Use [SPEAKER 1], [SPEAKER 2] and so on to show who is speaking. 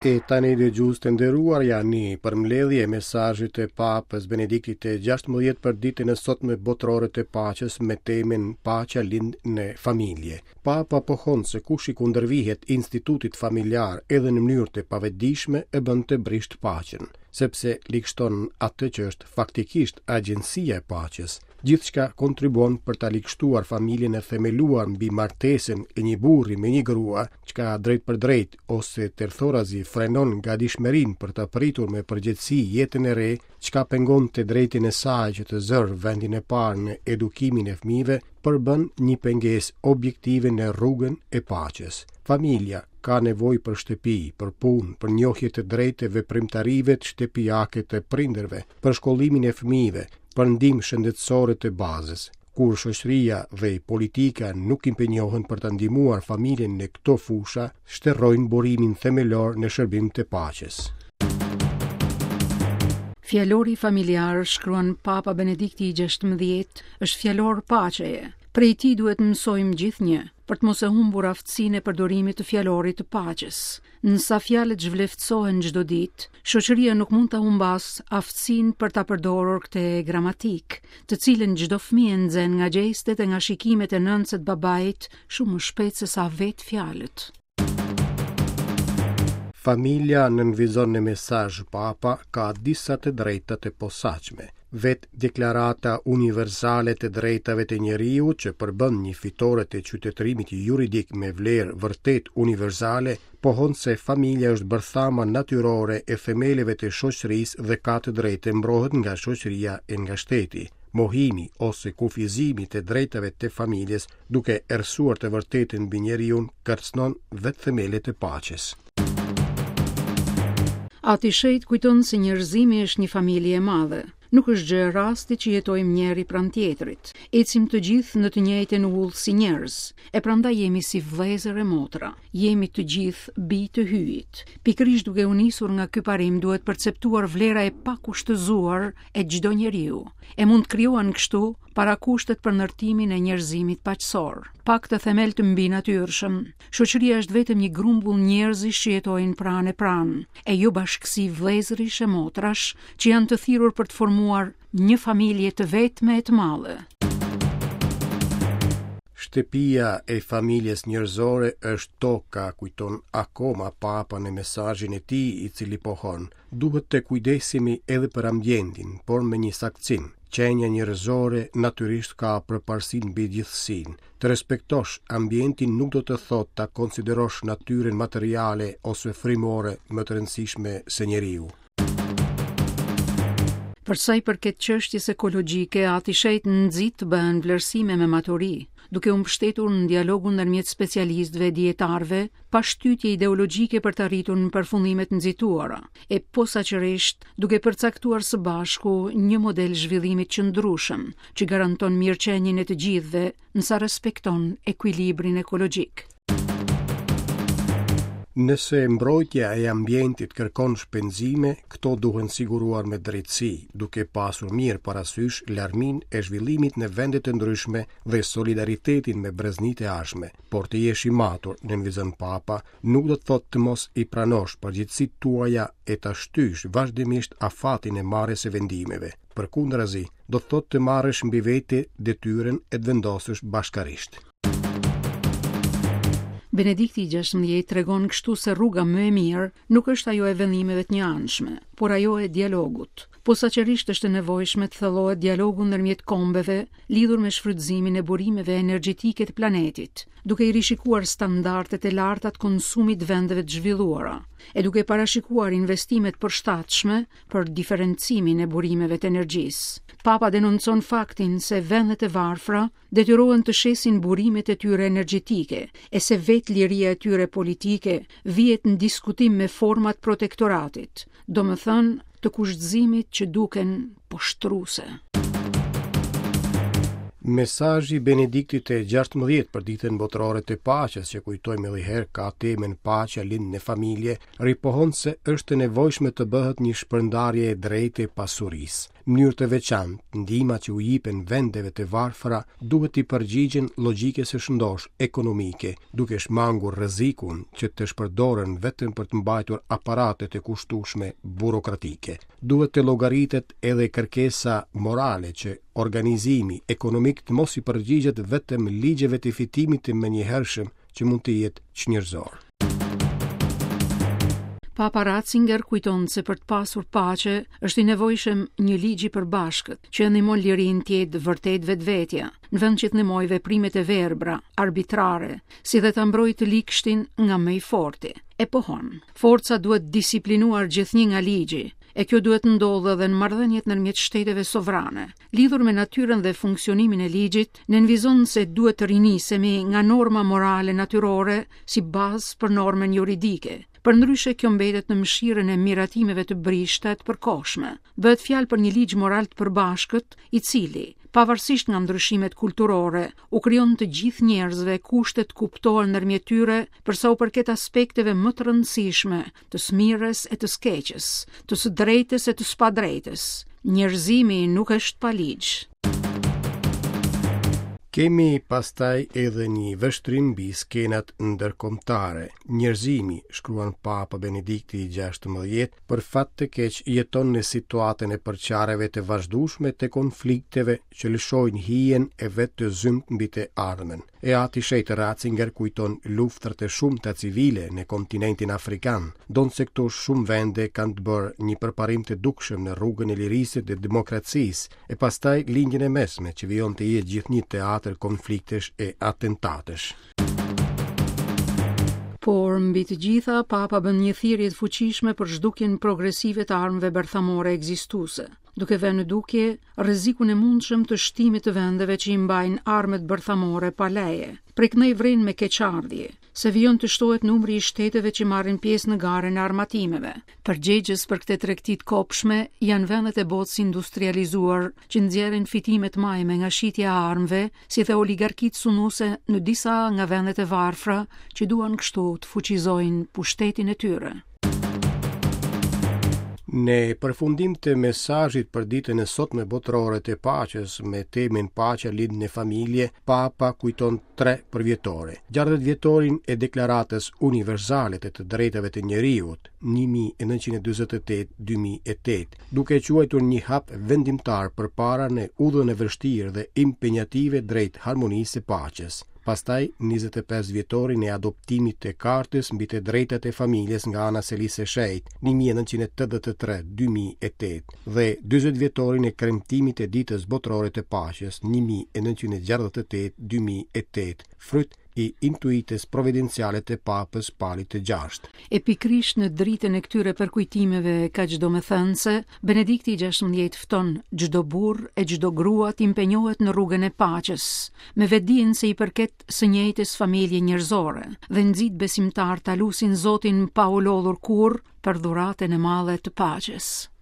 [SPEAKER 1] E tani dëgjues të nderuar ja një përmbledhje e mesazhit të Papës Benediktit të 16 për ditën e sotme botërore të paqes me temën Paqja lind në familje. Papa pohon se kush i kundërvihet institutit familjar edhe në mënyrë të pavetëdijshme e bën të brishtë paqen, sepse ligështon atë që është faktikisht agjencia e paqes. Gjithçka kontribuon për ta ligështuar familjen e themeluar mbi martesën e një burri me një grua, çka drejtpërdrejt ose tërthorazi frenon gatishmërinë për ta pritur me përgjegjësi jetën e re, çka pengon të drejtën e saj që të zërë vendin e parë në edukimin e fëmijëve, përbën një pengesë objektive në rrugën e paqes. Familja ka nevojë për shtëpi, për punë, për njohje të drejtë të veprimtarive shtëpiake të prindërve, për shkollimin e fëmijëve, për ndihmë shëndetësore të bazës. Kur shoqëria dhe politika nuk impenjohen për ta ndihmuar familjen në këto fusha, shterrojnë burimin themelor në shërbim të paqes.
[SPEAKER 2] Fjalori familjar, shkruan Papa Benedikti i 16, është fjalor paqeje. Prej tij duhet të mësojmë gjithnjë, për të mos e humbur aftësinë e përdorimit të fjalorit të paqes. Në sa fjalët zhvleftësohen çdo ditë, shoqëria nuk mund ta humbasë aftësinë për ta përdorur këtë gramatikë, të cilën çdo fëmijë e nxen nga gjestet e nga shikimet e nënës e të babait shumë më shpejt se sa vetë fjalët.
[SPEAKER 1] Familja, nënvizon në mesazh Papa, ka disa të drejta të posaçme. Vetë Deklarata Universale të Drejtave të Njeriut, që përbën një fitore të qytetërimit juridik me vlerë vërtet universale, pohon se familja është bërthama natyrore e themeleve të shoqërisë dhe ka të drejtë të mbrohet nga shoqëria e nga shteti. Mohimi ose kufizimi i të drejtave të familjes, duke errësuar të vërtetën mbi njeriun, kërcënon vetë themelet e paqes.
[SPEAKER 2] Ati i Shenjtë kujton se njerëzimi është një familje e madhe. Nuk është gjë e rastit që jetojmë njëri pranë tjetrit. Ecim të gjithë në të njëjtën udhë si njerëz, e prandaj jemi si vëllezër e motra. Jemi të gjithë bij të Hyjit. Pikërisht duke u nisur nga ky parim duhet perceptuar vlera e pakushtëzuar e çdo njeriu. E mund të krijohen kështu parakushtet për ndërtimin e njerëzimit paqësor. Pa këtë themel të mbinatyrshëm, Shoqëria është vetëm një grumbull njerëzish që jetojnë pranë e pranë, e jo bashkësi vëllezërish e motrash që janë të thirrur për të formuar një familje të vetme e të madhe.
[SPEAKER 1] Shtëpia e familjes njerëzore është toka, kujton akoma Papa në mesazhin e tij, i cili pohon, duhet të kujdesemi edhe për ambientin, por me një saktësim. Qenia njerëzore natyrisht ka përparësinë mbi gjithësinë. Të respektosh ambientin nuk do të thotë ta konsiderosh natyrën materiale ose frymore më të rëndësishme se njeriu.
[SPEAKER 2] Për sa i përket çështjes ekologjike, Ati i Shenjtë nxit të bëhen vlerësime me maturi, duke u mbështetur në dialogun ndërmjet specialistëve e dijetarëve, pa shtytje ideologjike për të arritur në përfundime të nxituara, e posaçërisht duke përcaktuar së bashku një model zhvillimi të qëndrueshëm që garanton mirëqenien e të gjithëve nësa respekton ekuilibrin ekologjik.
[SPEAKER 1] Nëse mbrojtja e ambientit kërkon shpenzime, këto duhen siguruar me drejtësi, duke pasur mirë parasysh larminë e zhvillimit në vende të ndryshme dhe solidaritetin me breznitë e ardhshme. Por të jesh i matur, nënvizon Papa, nuk do të thotë të mos i pranosh përgjegjësitë tuaja e ta shtysh vazhdimisht afatin e marrjes së vendimeve. Përkundrazi, do të thotë të marrësh mbi vete detyrën e të vendosësh bashkarisht.
[SPEAKER 2] Benedikti i 16 tregon kështu se rruga më e mirë nuk është ajo e vendimeve të njëanshme, por ajo e dialogut. Posaçërisht është e nevojshme të thellohet dialogu ndërmjet kombeve lidhur me shfrytëzimin e burimeve energjetike të planetit, duke i rishikuar standardet e larta të konsumit të vendeve të zhvilluara, e duke parashikuar investime të përshtatshme për diferencimin e burimeve të energjisë. Papa denoncon faktin se vendet e varfra detyrohen të shesin burimet e tyre energjetike e se vetë liria e tyre politike vihet në diskutim me forma të protektoratit, domethënë të kushtëzimit që duken poshtruese.
[SPEAKER 1] Mesazhi i Benediktit të 16 për Ditën Botërore të Paqes, që kujtojmë edhe herë ka temën Paqja lind në familje, ripohon se është e nevojshme të bëhet një shpërndarje e drejtë e pasurisë. Në mënyrë të veçantë, ndihmat që u jipen vendeve të varfra duhet t'i përgjigjen logjikës së shëndoshë ekonomike, duke shmangur rrezikun që të shpërdoren vetëm për të mbajtur aparate të kushtueshme burokratike. Duhet të llogaritet edhe kërkesa morale që organizimi ekonomik të mos i përgjigjet vetëm ligjeve të fitimit të menjëhershëm që mund të jetë çnjerëzor.
[SPEAKER 2] Papa Ratzinger kujton se për të pasur paqe është i nevojshëm një ligj i përbashkët që e ndihmon lirinë të jetë vërtet vetvetja, në vend që të ndihmojë veprimet e verbra, arbitrare, si dhe ta mbrojë të ligshtin nga më i forti. E pohon, forca duhet disiplinuar gjithnjë nga ligji, e kjo duhet të ndodhë edhe në marrëdhëniet ndërmjet shteteve sovrane. Lidhur me natyrën dhe funksionimin e ligjit, nënvizon se duhet të rinisemi nga norma morale natyrore si bazë për normën juridike. Përndryshe kjo mbetet në mëshirën e miratimeve të brishta e të përkohshme. Bëhet fjalë për një ligj moral të përbashkët, i cili, pavarësisht nga ndryshimet kulturore, u krijon të gjithë njerëzve kushte të kuptohen ndërmjet tyre për sa u përket aspekteve më të rëndësishme të së mirës e të së keqes, të së drejtës e të së padrejtës. Njerëzimi nuk është pa ligj.
[SPEAKER 1] Kemi pastaj edhe një vështrim mbi skenat ndërkombëtare. Njerëzimi, shkruan Papa Benedikti i 16, për fat të keq jeton në situatën e përçarjeve të vazhdueshme të konflikteve që lëshojnë hijen e vet të zymtë mbi të ardhmen. E Ati i Shenjtë Ratzinger kujton luftërat e shumta civile në kontinentin afrikan, ndonëse këto shumë vende kanë të bërë një përparim të dukshëm në rrugën e lirisë dhe demokracisë, e pastaj Lindjen e Mesme që vijon të jetë gjithnjë teatër konfliktesh e atentatesh.
[SPEAKER 2] Por, mbi të gjitha, Papa bën një thirrje të fuqishme për zhdukjen progresive të armëve bërthamore ekzistuese, duke vënë në dukje rrezikun e mundshëm të shtimit të vendeve që i mbajnë armët bërthamore pa leje. Prej këndej vren me keqardhje, se vijon të shtohet numri i shteteve që marrin pjesë në garën e armatimeve. Përgjegjës për këtë tregti të kobshme janë vendet e botës së industrializuar që nxjerrin fitime të majme nga shitja e armëve, si dhe oligarkitë sunduese në disa nga vendet e varfra që duan kështu të fuqizojnë pushtetin e tyre.
[SPEAKER 1] Në përfundim të mesazhit për ditën e sotme botërore të paqes me temën Paqja lind në familje, Papa kujton tre përvjetore. 60 vjetorin e Deklaratës Universale të të Drejtave të Njeriut, 1948-2008, duke e quajtur një hap vendimtar përpara në udhën e vështirë dhe impenjative drejt harmonisë së paqes. Pastaj 25 vjetorin e adoptimit të Kartës mbi të drejtat e familjes nga ana e Selisë së Shenjtë, 1983-2008, dhe 40 vjetorin e kremtimit të Ditës Botërore të Paqes, 1968-2008, fryt i intuitës providenciale të Papës Palit të
[SPEAKER 2] Gjashtë. E pikërisht në dritën e këtyre përkujtimeve kaq domethënëse, Benedikti i 16 fton çdo burrë e çdo grua të impenjohet në rrugën e paqes, me vetëdijen se i përket së njëjtës familje njerëzore dhe nxit besimtarët ta lusin Zotin pa u lodhur kurrë për dhuratën e madhe të paqes.